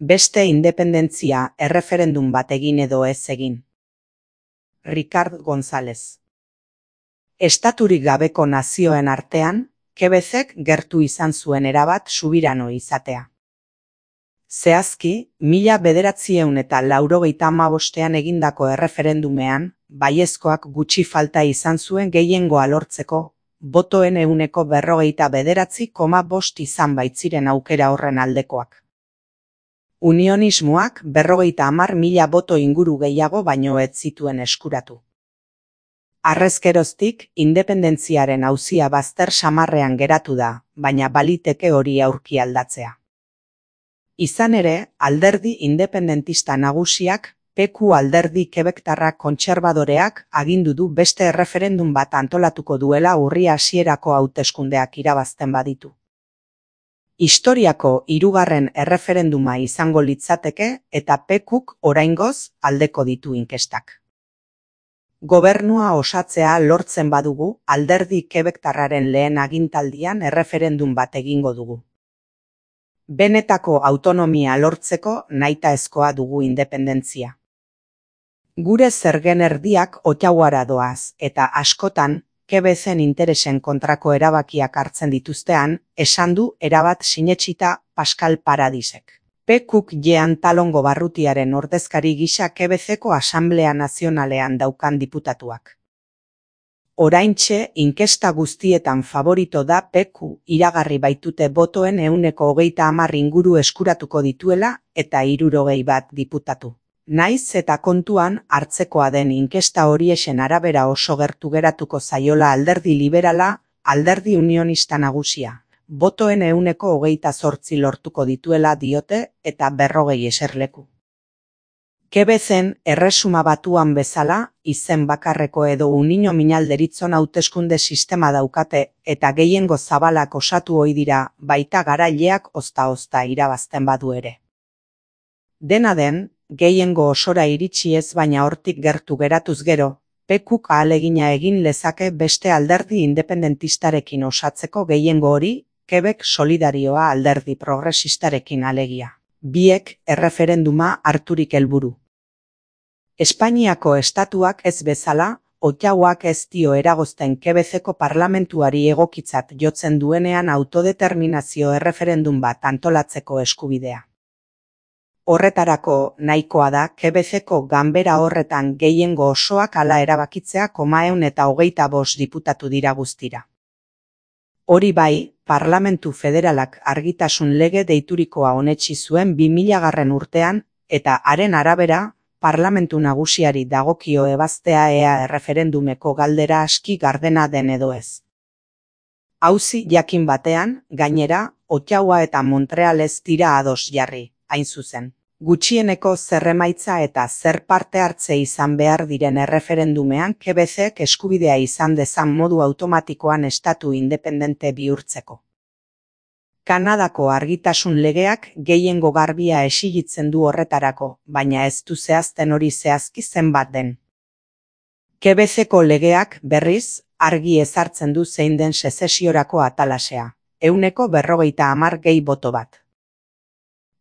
Beste independentzia erreferendum bat egin edo ez egin. Ricard González. Estaturik gabeko nazioen artean, Quebecek gertu izan zuen erabat subirano izatea. Zehazki, 1985ean egindako erreferendumean, baiezkoak gutxi falta izan zuen gehiengoa lortzeko, botoen 49,5% izan baitziren aukera horren aldekoak. Unionismoak 50.000 boto inguru gehiago baino ez zituen eskuratu. Harrezkeroztik, independentziaren auzia bazter samarrean geratu da, baina baliteke hori aurki aldatzea. Izan ere, alderdi independentista nagusiak, PQ alderdi quebectarrak kontserbadoreak agindu du beste erreferendum bat antolatuko duela urria hasierako hauteskundeak irabazten baditu. Historiako hirugarren erreferenduma izango litzateke eta PQk oraingoz aldeko ditu inkestak. Gobernua osatzea lortzen badugu, alderdi quebectarraren lehen agintaldian erreferendum bat egingo dugu. Benetako autonomia lortzeko nahitaezkoa dugu independentzia. Gure zergen erdiak Ottawara doaz, eta askotan, Quebecen interesen kontrako erabakiak hartzen dituztean, esan du erabat sinetsita Pascal Paradisek. PQk Jean Talongo Barrutiaren ordezkari gisa Quebeceko Asanblea Nazionalean daukan diputatuak. Oraintxe, inkesta guztietan favorito da PQ iragarri baitute botoen 30% inguru eskuratuko dituela eta 61 diputatu. Naiz eta kontuan hartzekoa den inkesta horiexen arabera oso gertu geratuko zaiola alderdi liberala, alderdi unionista nagusia. Botoen 28% lortuko dituela diote eta 40 eserleku. Quebecen erresuma batuan bezala, izen bakarreko edo unino minalderitzon hauteskunde sistema daukate eta gehiengo zabalak osatu ohi dira, baita garaileak ozta-ozta irabazten badu ere. Dena den, gehiengo osora iritsi ez baina hortik gertu geratuz gero, PQk ahalegina egin lezake beste alderdi independentistarekin osatzeko gehiengo hori, Quebec Solidarioa alderdi progresistarekin alegia. Biek erreferenduma harturik helburu. Espainiako estatuak ez bezala, Ottawak ez dio eragozten Quebeceko parlamentuari egokitzat jotzen duenean autodeterminazio erreferendum bat antolatzeko eskubidea. Horretarako nahikoa da Quebeceko ganbera horretan gehiengo osoak hala erabakitzea 125 diputatu dira guztira. Hori bai, Parlamentu Federalak argitasun lege deiturikoa onetsi zuen 2000 urtean, eta haren arabera, Parlamentu nagusiari dagokio ebaztea ea erreferendumeko galdera aski gardena den edo ez. Auzi jakin batean, gainera, Ottawa eta Montreal ez dira ados jarri, hain zuzen. Gutxieneko zer emaitza eta zer parte hartze izan behar diren erreferendumean Quebecek eskubidea izan dezan modu automatikoan estatu independente bihurtzeko. Kanadako argitasun legeak gehiengo garbia exigitzen du horretarako, baina ez du zehazten hori zehazki zenbat den. Quebeceko legeak, berriz, argi ezartzen du zein den sezesiorako atalasea, 50% gehi boto bat.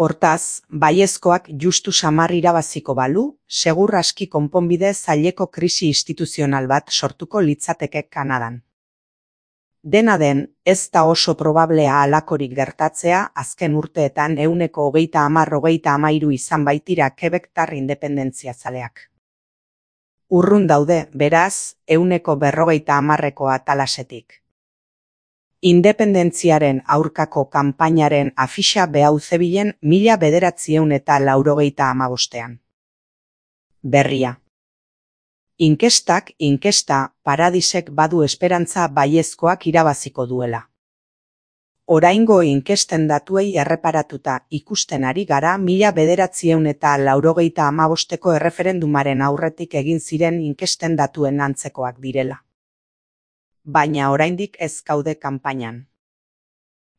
Hortaz, baiezkoak justu samar irabaziko balu, segur aski konponbide zaileko krisi instituzional bat sortuko litzateke Kanadan. Dena den, ez da oso probablea halakorik gertatzea azken urteetan 30-30-13 izan baitira Quebectar independentziazaleak. Urrun daude, beraz, 40%ko atalasetik. Independentziaren aurkako kanpainaren afixa behau zebilen 1985ean. Berria. Inkesta, Paradisek badu esperantza baiezkoak irabaziko duela. Oraingo inkesten datuei erreparatuta ikusten ari gara 1985eko erreferendumaren aurretik egin ziren inkesten datuen antzekoak direla. Baina oraindik ez gaude kanpainan.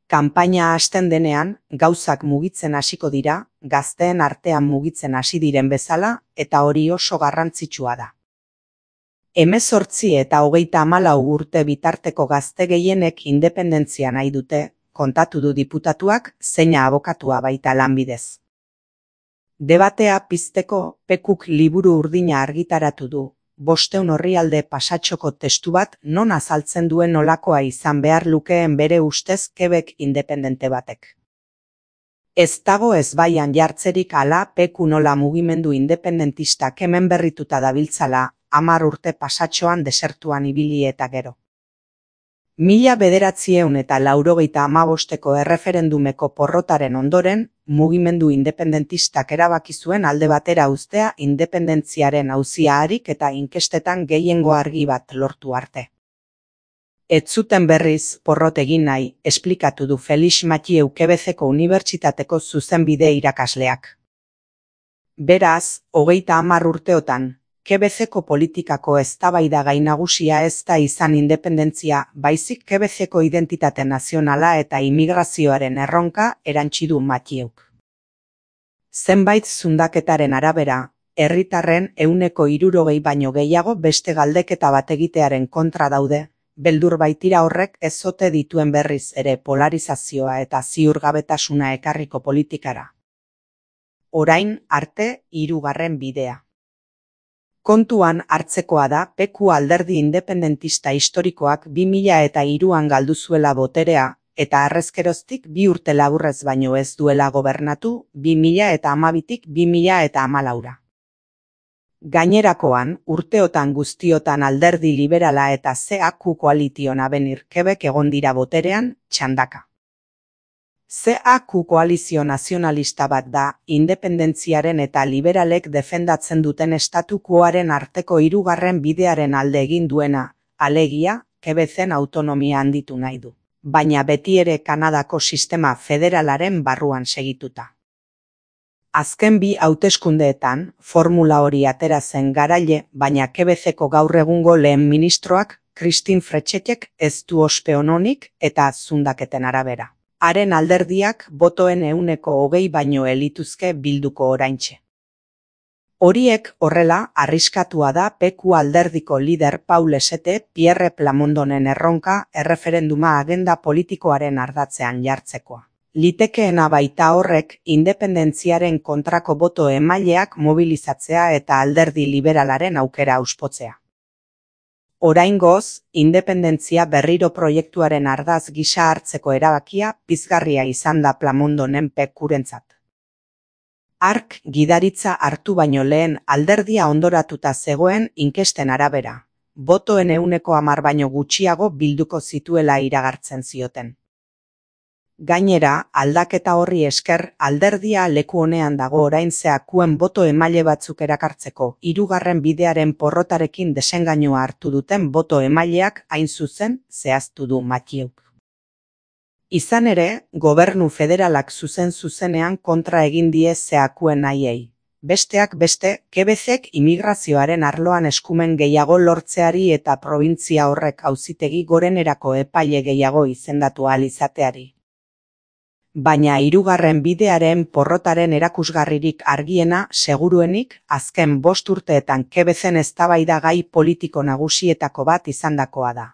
Kanpaina hasten denean, gauzak mugitzen hasiko dira, gazteen artean mugitzen hasi diren bezala, eta hori oso garrantzitsua da. 18 eta 34 urte bitarteko gazte gehienek independentzia nahi dute, kontatu du diputatuak, zeina abokatua baita lanbidez. Debatea pizteko Pekuk liburu urdina argitaratu du, 500 orrialde pasatxoko testu bat non azaltzen duen nolakoa izan behar lukeen bere ustez Quebec independente batek. Ez dago ezbaian jartzerik ala Peku nola mugimendu independentistak hemen berrituta dabiltzala, 10 urte pasatxoan desertuan ibili eta gero. 1985ko erreferendumeko porrotaren ondoren, mugimendu independentistak erabaki zuen alde batera uztea independentziaren auzia harik eta inkestetan gehiengo argi bat lortu arte. Ez zuten berriz porrot egin nahi, esplikatu du Felix Mathieu Quebeceko Unibertsitateko zuzenbide irakasleak. Beraz, 30 urteotan, Quebeceko politikako eztabaida gai nagusia ez da izan independentzia, baizik Quebeceko identitate nazionala eta immigrazioaren erronka erantsi du Matthieuk. Zenbait zundaketaren arabera, herritarren 60% baino gehiago beste galdeketa bat egitearen kontra daude, beldur baitira horrek ez ote dituen berriz ere polarizazioa eta ziurgabetasuna ekarriko politikara. Orain arte 3. bidea. Kontuan hartzekoa da Peku alderdi independentista historikoak 2003an galdu zuela boterea, eta harrezkeroztik 2 urte laburrez baino ez duela gobernatu 2012tik 2014. Gainerakoan, urteotan guztiotan alderdi liberala eta CAQ Coalition Avenir Quebec egon dira boterean, txandaka. CAQ koalizio nazionalista bat da, independentziaren eta liberalek defendatzen duten estatukoaren arteko 3. bidearen alde egin duena, alegia, Quebecen autonomia handitu nahi du, baina beti ere Kanadako sistema federalaren barruan segituta. Azken 2 hauteskundeetan, formula hori atera zen garaile, baina Quebeceko gaur egungo lehen ministroak, Christine Frechettek ez du ospe ononik eta zundaketen arabera. Haren alderdiak botoen 20% baino elituzke bilduko oraintxe. Horiek horrela arriskatua da Peku alderdiko lider Paul Esete Pierre Plamondonen erronka erreferenduma agenda politikoaren ardatzean jartzekoa. Litekeena baita horrek independentziaren kontrako boto emaileak mobilizatzea eta alderdi liberalaren aukera auspotzea. Oraingoz, independentzia berriro proiektuaren ardaz gisa hartzeko erabakia pizgarria izan da Plamondonen Pekurentzat. Hark gidaritza hartu baino lehen alderdia ondoratuta zegoen inkesten arabera, botoen 10% baino gutxiago bilduko zituela iragartzen zioten. Gainera, aldaketa horri esker alderdia leku honean dago orain CAQen boto emaile batzuk erakartzeko 3. bidearen porrotarekin desengainua hartu duten boto emaileak hain zuzen zehaztu du Matthieuk. Izan ere, gobernu federalak zuzenean kontra egin die CAQen nahiei. Besteak beste, Quebecek immigrazioaren arloan eskumen gehiago lortzeari eta probintzia horrek auzitegi gorenerako epaile gehiago izendatu ahal izateari. Baina 3. bidearen porrotaren erakusgarririk argiena seguruenik azken 5 urteetan Quebecen eztabaida gai politiko nagusietako bat izandakoa da.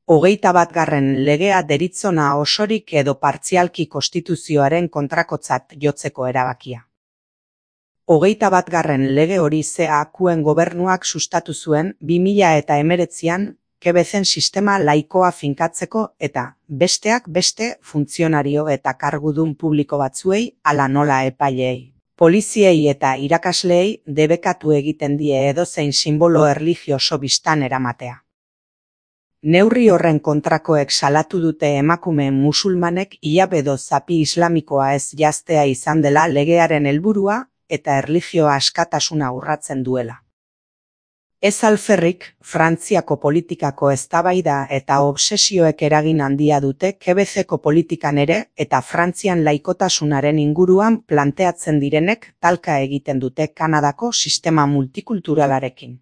21. legea deritzona osorik edo partzialki konstituzioaren kontrakotzat jotzeko erabakia. 21. lege hori CAQen gobernuak sustatu zuen 2019an Quebecen sistema laikoa finkatzeko eta, besteak beste, funtzionario eta kargudun publiko batzuei ala nola epaileei. Poliziei eta irakasleei debekatu egiten die edozein sinbolo erlijioso bistan eramatea. Neurri horren kontrakoek salatu dute emakume musulmanek hilabedo zapi islamikoa ez jaztea izan dela legearen helburua eta erlijioa askatasuna urratzen duela. Ez alferrik, Frantziako politikako eztabaida eta obsesioek eragin handia dute Quebeceko politikan ere eta Frantzian laikotasunaren inguruan planteatzen direnek talka egiten dute Kanadako sistema multikulturalarekin.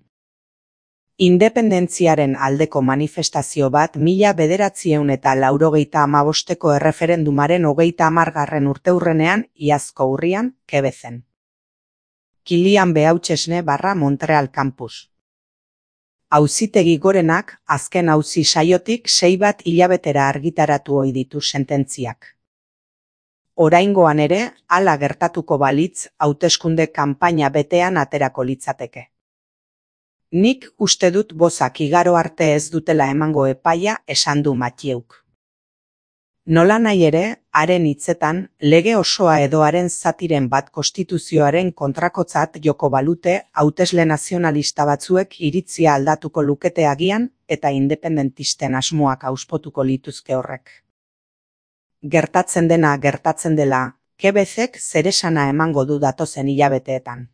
Independentziaren aldeko manifestazio bat 1985ko erreferendumaren 30. urteurrenean iazko urrian Quebecen. Kilian Beauchesne /Montreal Campus. Auzitegi gorenak azken auzi saiotik 6 hilabetera argitaratu ohi ditu sententziak. Oraingoan ere, hala gertatuko balitz, hauteskunde kanpaina betean aterako litzateke. Nik uste dut bozak igaro arte ez dutela emango epaia esan du Mattheuk. Nola nahi ere, haren hitzetan, lege osoa edo haren zatiren bat konstituzioaren kontrakotzat joko balute hautesle nazionalista batzuek iritzia aldatuko lukete agian eta independentisten asmoak auspotuko lituzke horrek. Gertatzen dena gertatzen dela, Quebecek zeresana emango du datozen hilabeteetan.